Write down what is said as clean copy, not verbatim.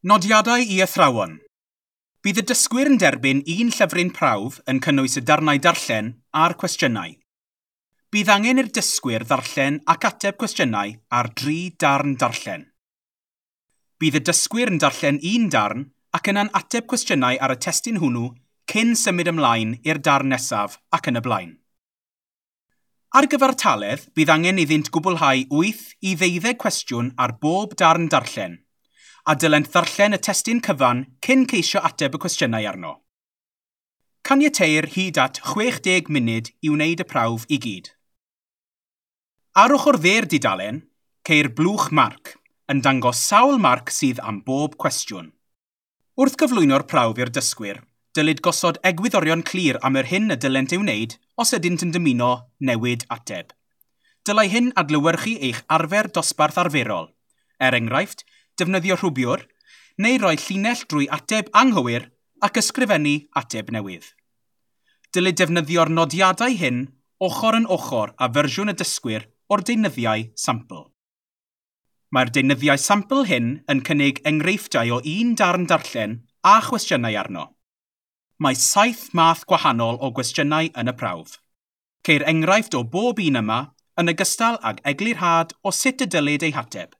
Nodiadau i athrawon. Bydd y dysgwyr yn derbyn un llyfryn prawf yn cynnwys y darnau darllen a'r cwestiynau. Bydd angen i'r dysgwyr ddarllen ac ateb cwestiynau ar dri darn darllen. Bydd y dysgwyr yn darllen un darn ac yna'n ateb cwestiynau ar y testun hwnnw cyn symud ymlaen i'r darn nesaf ac yn y blaen. Ar gyfartaledd, bydd angen iddynt gwblhau 8 i 12 cwestiwn ar bob darn darllen, a dylent ddarllen y testun cyfan cyn ceisio ateb y cwestiynau arno. Caniateir hyd at 60 munud i wneud y prawf i gyd. Ar ochr dde'r dudalen, ceir blwch marc, yn dangos sawl marc sydd am bob cwestiwn. Wrth gyflwyno'r prawf i'r dysgwyr, dylid gosod egwyddorion clir am yr hyn y dylent ei wneud os ydynt yn dymuno newid ateb. Dylai hyn adlewyrchu eich arfer dosbarth arferol, er enghraifft, defnyddio rhwbiwr, neu roi llinell drwy ateb anghywir ac ysgrifennu ateb newydd. Dylid defnyddio'r nodiadau hyn ochr yn ochr â fersiwn y dysgwyr o'r deunyddiau sampl. Mae'r deunyddiau sampl hyn yn cynnig enghreifftiau o un darn darllen a chwestiynau arno. Mae 7 math gwahanol o gwestiynau yn y prawf. Ceir enghraifft o bob un yma yn ogystal ag eglurhad o sut y dylid ei hateb.